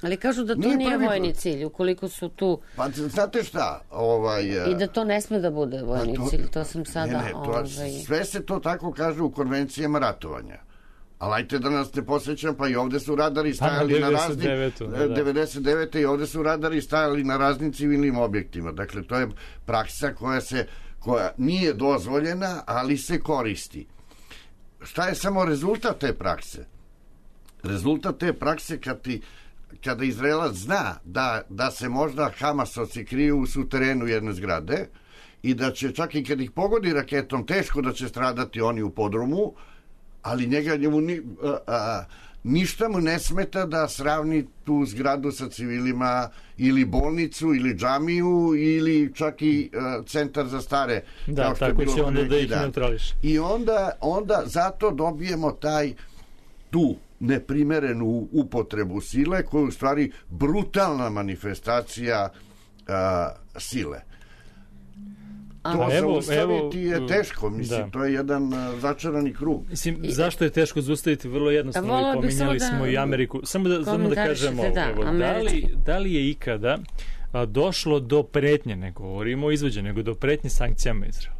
Ali kažu da to nije, nije vojni put. Cilj, ukoliko su tu... Pa znate šta? Ovaj, I da to ne sme da bude vojni to, cilj, to sam sada... Ne, ne, to, ovaj... sve se to tako kaže u konvencijama ratovanja. Ali ajte da nas ne posjećam, pa i ovde su radari stajali pa, na raznim... Da, da. devedeset devete i ovde su radari stajali na raznim civilnim objektima. Dakle, to je praksa koja se koja nije dozvoljena, ali se koristi. Šta je samo rezultat te prakse? Rezultat te prakse kad ti, kada Izraelac zna da, da se možda Hamasovci kriju u suterenu jedne zgrade i da će čak i kad ih pogodi raketom teško da će stradati oni u podrumu, ali njega njemu ni, a, a, ništa mu ne smeta da sravni tu zgradu sa civilima ili bolnicu ili džamiju ili čak i a, centar za stare. Da, tako će onda da ih neutrališe. I onda, onda zato dobijemo taj tu neprimerenu upotrebu sile koja je u stvari brutalna manifestacija a, sile. To evo, zaustaviti evo, je teško, mislim, da. To je jedan uh, začarani krug. Mislim, zašto je teško zaustaviti? Vrlo jednostavno, i pominjali smo da, i Ameriku. Samo da, samo da kažemo, da, evo, da, li, da li je ikada a, došlo do pretnje, ne govorimo o izvođenju, nego do pretnje sankcijama Izraela?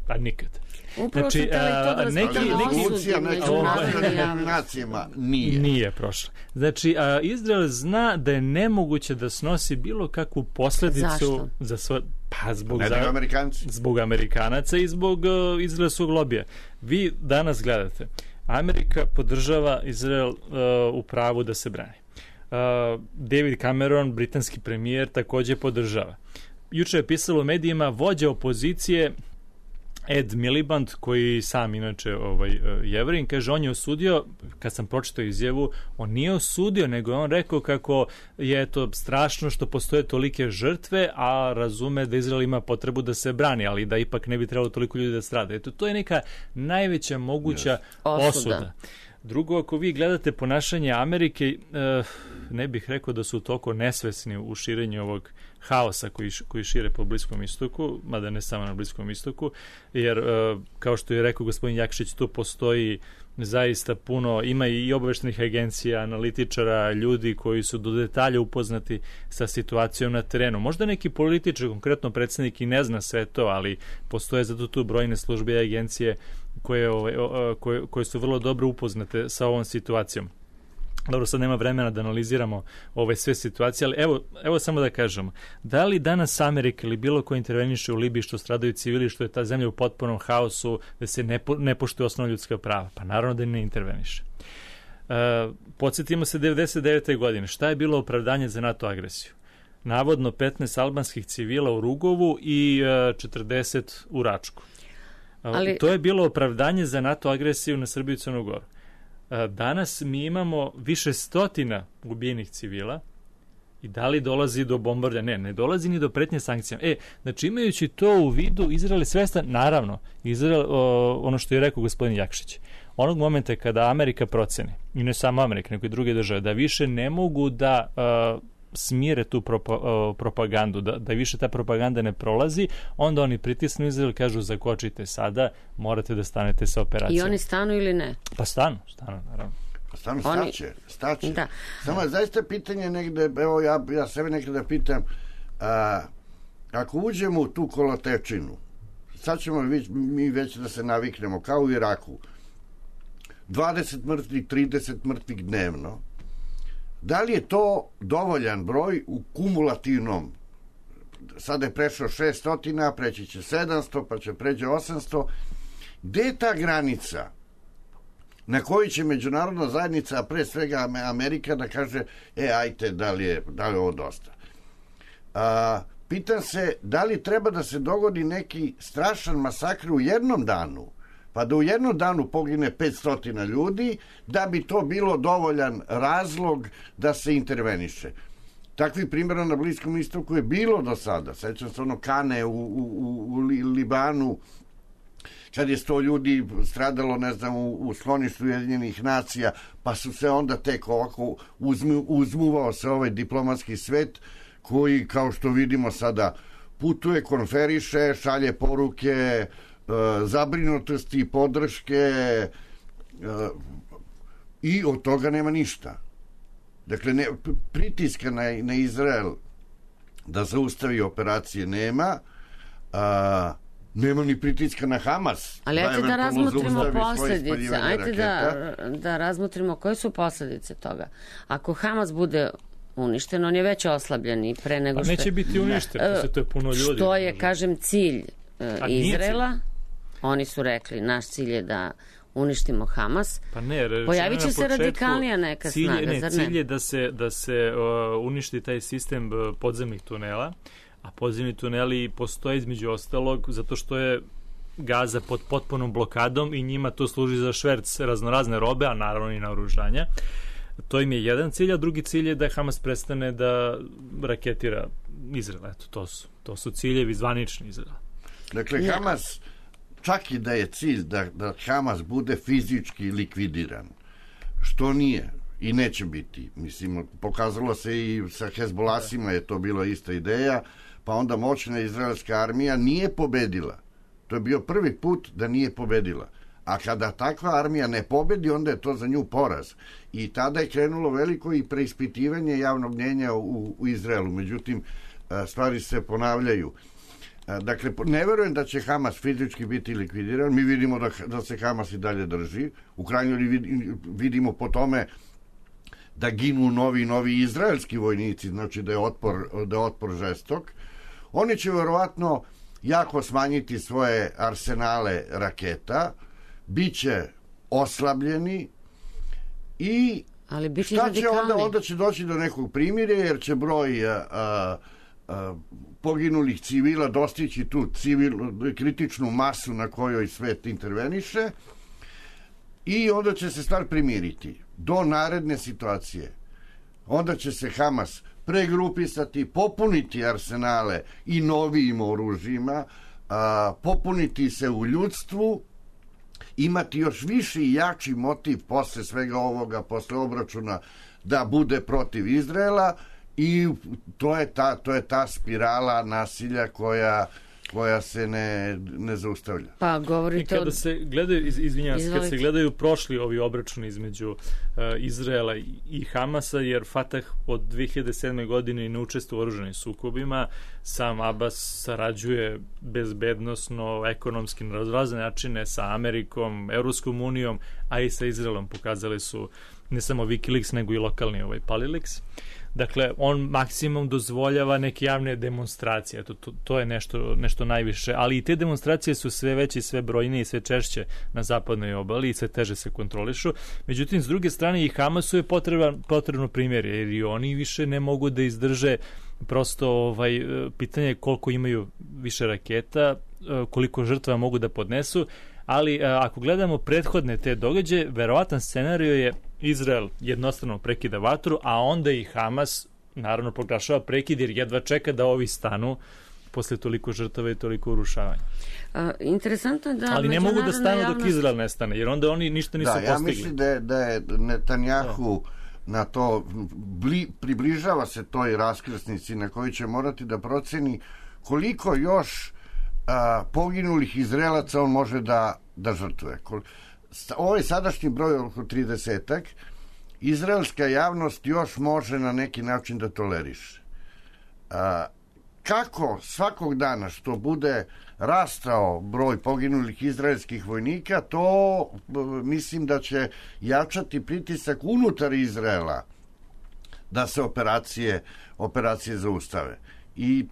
Pa nikad. Upravo znači, a, neki, neki, nacijama nije. Nije prošla. Znači, a, Izrael zna da je nemoguće da snosi bilo kakvu posledicu Zašto? za svoj... Pa zbog, ne, za, Amerikanci. zbog Amerikanaca i zbog uh, izraelskog lobija. Vi danas gledate, Amerika podržava Izrael uh, u pravu da se brani. Uh, David Cameron, britanski premijer, takođe podržava. Juče je pisalo u medijima vođa opozicije Ed Miliband, koji sam inače ovaj, Jevrin, kaže, on je osudio, kad sam pročitao izjavu, on nije osudio, nego je on rekao kako je to strašno što postoje tolike žrtve, a razume da Izrael ima potrebu da se brani, ali da ipak ne bi trebalo toliko ljudi da strada. Eto, to je neka najveća moguća yes. osuda. osuda. Drugo, ako vi gledate ponašanje Amerike, eh, ne bih rekao da su toliko nesvesni u širenju ovog haosa koji, koji šire po Bliskom istoku, mada ne samo na Bliskom istoku, jer, eh, kao što je rekao gospodin Jakšić, tu postoji zaista puno, ima i obaveštenih agencija, analitičara, ljudi koji su do detalja upoznati sa situacijom na terenu. Možda neki političar, konkretno predsjednik, i ne zna sve to, ali postoje zato tu brojne službe i agencije koje, koje, koje su vrlo dobro upoznate sa ovom situacijom. Dobro, sad nema vremena da analiziramo ove sve situacije, ali evo, evo samo da kažemo, da li danas Amerika ili bilo ko interveniše u Libiji što stradaju civili, što je ta zemlja u potpunom haosu, da se ne, po, ne poštuje osnovna ljudska prava? Pa naravno da ne interveniše. E, podsjetimo se devedeset devete godine. Šta je bilo opravdanje za NATO agresiju? Navodno petnaest albanskih civila u Rugovu i e, četrdeset u Račku. Ali... To je bilo opravdanje za NATO agresiju na Srbiju i Crnu Goru. Danas mi imamo više stotina ubijenih civila i da li dolazi do bombardanja? Ne, ne dolazi ni do pretnje sankcijama. E, znači imajući to u vidu, Izrael je svestan, naravno, Izrael, o, ono što je rekao gospodin Jakšić, onog momenta kada Amerika proceni, i ne samo Amerika, nego i druge države, da više ne mogu da uh, smire tu propa, uh, propagandu, da, da više ta propaganda ne prolazi, onda oni pritisnu Izrael, kažu zakočite sada, morate da stanete sa operacijom. I oni stanu ili ne? Pa stanu, stanu, naravno. Pa stanu, oni... staće, staće. Da. Samo je zaista pitanje negde, evo ja, ja sebe nekada da pitam, a, ako uđemo u tu kolotečinu, sad ćemo mi već da se naviknemo, kao u Iraku, dvadeset mrtvih, trideset mrtvih dnevno, da li je to dovoljan broj u kumulativnom? Sada je prešao šesto, preći će sedamsto, pa će pređe osamsto. Gde je ta granica na kojoj će međunarodna zajednica, a pre svega Amerika, da kaže, e, ajte, da li je, da li je ovo dosta? A, pitam se da li treba da se dogodi neki strašan masakr u jednom danu, pa da u jednom danu pogine petsto ljudi, da bi to bilo dovoljan razlog da se interveniše. Takvih primjera na Bliskom istoku je bilo do sada. Sećam se ono Kane u, u, u Libanu, kad je sto ljudi stradalo, ne znam, u, u skloništu Ujedinjenih nacija, pa su se onda tek ovako uzmu, uzmuvao se ovaj diplomatski svet koji, kao što vidimo sada, putuje, konferiše, šalje poruke, e, zabrinutosti, podrške e, i od toga nema ništa. Dakle, ne, pritiska na, na Izrael da zaustavi operacije nema, a nema ni pritiska na Hamas. Ali ajte da, da razmotrimo posljedice. Ajte da, da razmotrimo koje su posljedice toga. Ako Hamas bude uništen, on je već oslabljen i pre nego što... Pa neće biti uništen, ne, to je puno ljudi. Što je, kažem, cilj uh, Izraela. Cilj. Oni su rekli, naš cilj je da uništimo Hamas. Pa ne, pojavit će se radikalnija neka cilj, snaga, ne, zar cilj ne? Cilj je da se, da se uh, uništi taj sistem podzemnih tunela, a podzemni tuneli postoje između ostalog zato što je Gaza pod potpunom blokadom i njima to služi za šverc raznorazne robe, a naravno i naoružanja. To im je jedan cilj, a drugi cilj je da Hamas prestane da raketira Izrael. Eto, to su, to su ciljevi zvanični Izraela. Dakle, ja. Hamas, čak i da je cilj da, da Hamas bude fizički likvidiran, što nije i neće biti. Mislim, pokazalo se i sa Hezbolasima je to bila ista ideja, pa onda moćna izraelska armija nije pobedila. To je bio prvi put da nije pobedila. A kada takva armija ne pobedi, onda je to za nju poraz. I tada je krenulo veliko i preispitivanje javnog mnjenja u, u Izraelu. Međutim, stvari se ponavljaju. Dakle, ne verujem da će Hamas fizički biti likvidiran. Mi vidimo da, da se Hamas i dalje drži. U krajnjoj vidimo po tome da ginu novi novi izraelski vojnici, znači da je otpor, da je otpor žestok. Oni će verovatno jako smanjiti svoje arsenale raketa, biće oslabljeni i ali biće šta radikalni. će onda, onda će doći do nekog primirja, jer će broj a, a, a, poginulih civila dostići tu civil, kritičnu masu na kojoj svet interveniše i onda će se stvar primiriti do naredne situacije. Onda će se Hamas pregrupisati, popuniti arsenale i novijim oružjima, a, popuniti se u ljudstvu, imati još viši i jači motiv posle svega ovoga, posle obračuna da bude protiv Izraela i to je ta, to je ta spirala nasilja koja koja se ne, ne zaustavlja. Pa govorite I kada od... se gledaju, iz, izvinjam se, kad se gledaju prošli ovi obračuni između uh, Izraela i, i Hamasa, jer Fatah od dve hiljade sedme. godine ne učestvuje u oružanim sukobima, sam Abbas sarađuje bezbednosno, ekonomski na razne načine sa Amerikom, Evropskom unijom, a i sa Izraelom. Pokazali su ne samo Wikileaks, nego i lokalni ovaj Paliliks. Dakle, on maksimum dozvoljava neke javne demonstracije. To, to, to je nešto, nešto najviše. Ali i te demonstracije su sve veće, sve brojnije i sve češće na zapadnoj obali i sve teže se kontrolišu. Međutim, s druge strane i Hamasu je potreban, potrebno primjer, jer i oni više ne mogu da izdrže prosto ovaj, pitanje koliko imaju više raketa, koliko žrtva mogu da podnesu. Ali ako gledamo prethodne te događaje, verovatan scenario je Izrael jednostavno prekida vatru, a onda i Hamas naravno proglašava prekid jer jedva čeka da ovi stanu posle toliko žrtava i toliko urušavanja. A, interesantno je da... Ali ne mogu da stanu javnost... dok Izrael ne stane, jer onda oni ništa nisu da, postigli. Da, ja mislim da je, da je Netanjahu da. na to, bli, približava se toj raskrsnici na kojoj će morati da proceni koliko još a, poginulih Izraelaca on može da, da žrtvuje. Ovaj sadašnji broj oko tridesetak, izraelska javnost još može na neki način da toleriše. A, kako svakog dana što bude rastao broj poginulih izraelskih vojnika, to mislim da će jačati pritisak unutar Izraela da se operacije, operacije zaustave. I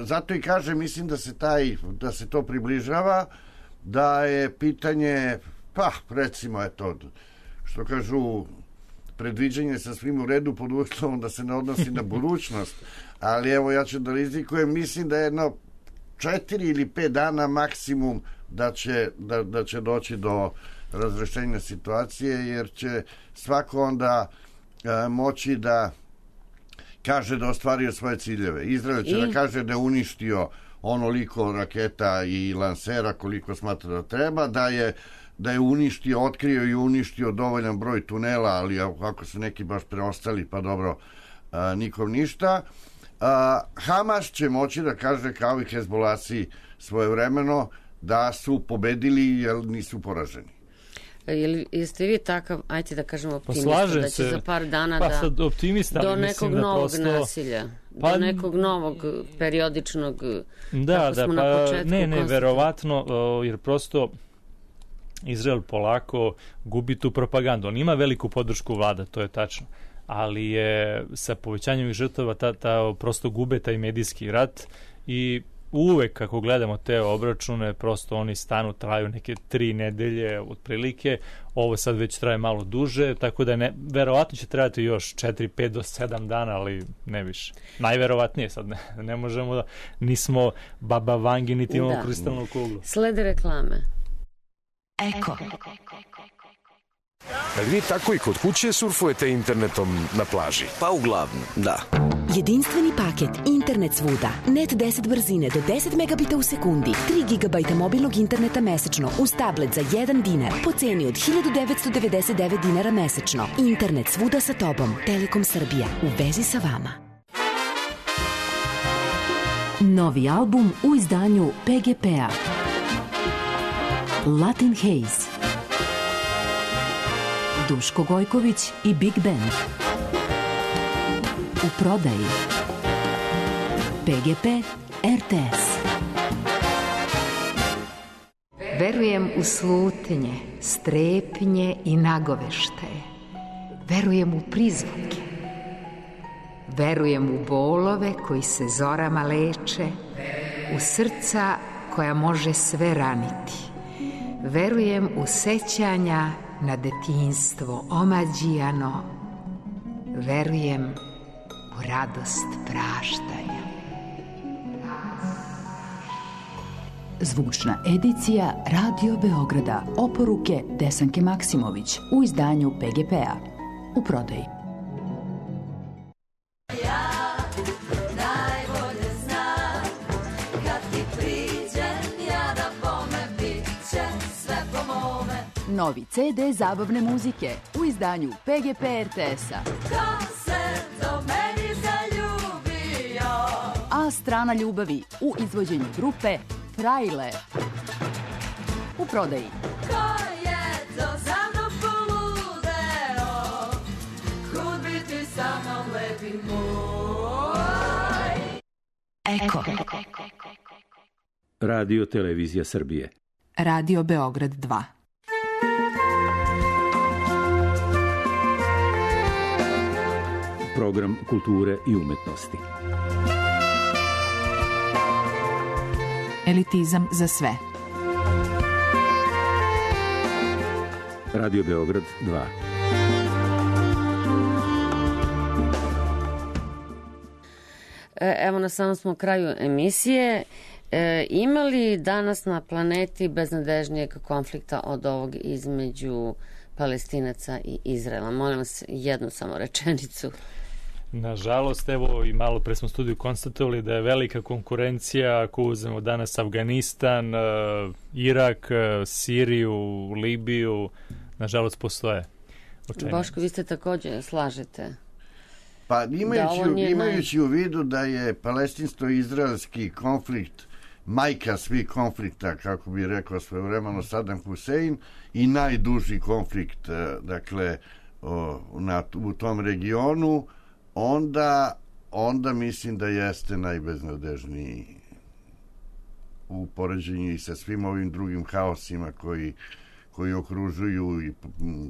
zato i kažem, mislim da se taj, da se to približava, da je pitanje, pa recimo eto, što kažu predviđanje sa svim u redu pod uslovom da se ne odnosi na budućnost, ali evo ja ću da rizikujem, mislim da je jedno četiri ili pet dana maksimum da će, da, da će doći do razrešenja situacije, jer će svako onda a, moći da kaže da ostvario svoje ciljeve. Izrael će I... da kaže da je uništio onoliko raketa i lansera koliko smatra da treba, da je da je uništio, otkrio i uništio dovoljan broj tunela, ali ako su neki baš preostali, pa dobro, a, nikom ništa. A, Hamas će moći da kaže, kao i Hezbolasi svojevremeno, da su pobedili jer nisu poraženi. Jel, jeste vi takav, ajte da kažemo optimista, pa da će se, za par dana pa da sad optimista, do nekog da novog prosto, nasilja, pa, do nekog novog periodičnog, da, da, pa ne, ne, verovatno, jer prosto Izrael polako gubi tu propagandu. On ima veliku podršku vlada, to je tačno, ali je sa povećanjem žrtava ta, ta prosto gube taj medijski rat i uvek kako gledamo te obračune, prosto oni stanu, traju neke tri nedelje otprilike, ovo sad već traje malo duže, tako da ne, verovatno će trajati još četiri, pet do sedam dana, ali ne više. Najverovatnije sad, ne, ne možemo da, nismo Baba Vangi, niti imamo da. kristalnu kuglu. Slede reklame. Eko. Da li vi tako i kod kuće surfujete internetom na plaži? Pa uglavnom, da. Jedinstveni paket Internet svuda. Net deset brzine do deset megabita u sekundi. tri gigabajta mobilnog interneta mesečno uz tablet za jedan dinar po ceni od hiljadu devetsto devedeset devet dinara mesečno. Internet svuda sa tobom. Telekom Srbija. U vezi sa vama. Novi album u izdanju P G P-a. Latin Haze. Duško Gojković i Big Band. U prodaji. P G P R T S. Verujem u slutnje, strepnje i nagoveštaje. Verujem u prizvuke. Verujem u bolove koji se zorama leče, u srca koja može sve raniti. Verujem u sećanja na detinjstvo omađijano. Verujem u radost praštanja. Zvučna edicija Radio Beograda. Oporuke Desanke Maksimović u izdanju P G P-a. U prodaji. Novi C D zabavne muzike u izdanju P G P R T S-a. Ko se do meni zaljubio? A strana ljubavi u izvođenju grupe Frajle. U prodaji. Ko je to za mnom poludeo? Kud biti sa mnom lepi moj? Eko. Radio Televizija Srbije. Radio Beograd dva. Program kulture i umetnosti. Elitizam za sve. Radio Beograd dva. Evo na samom smo kraju emisije. E, ima li danas na planeti beznadežnijeg konflikta od ovog između Palestinaca i Izraela? Molim vas jednu samo rečenicu. Nažalost, evo i malo pre smo u studiju konstatovali da je velika konkurencija, ako uzmemo danas Afganistan, Irak, Siriju, Libiju, nažalost postoje. Boško, vi ste također slažete? Pa imajući, imajući naj... u vidu da je palestinsko-izraelski konflikt majka svih konflikta, kako bi rekao svojevremeno Saddam Hussein, i najduži konflikt, dakle, o, na, u tom regionu, onda, onda mislim da jeste najbeznadežniji u poređenju i sa svim ovim drugim haosima koji, koji okružuju i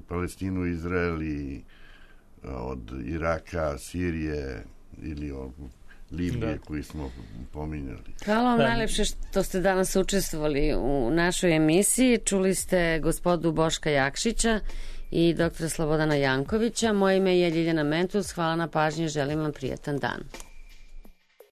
Palestinu, Izrael i od Iraka, Sirije ili od Libije, da, koji smo pominjali. Hvala vam najlepše što ste danas učestvovali u našoj emisiji. Čuli ste gospodu Boška Jakšića i doktora Slobodana Jankovića. Moje ime je Ljiljana Mentus. Hvala na pažnji, želim vam prijatan dan.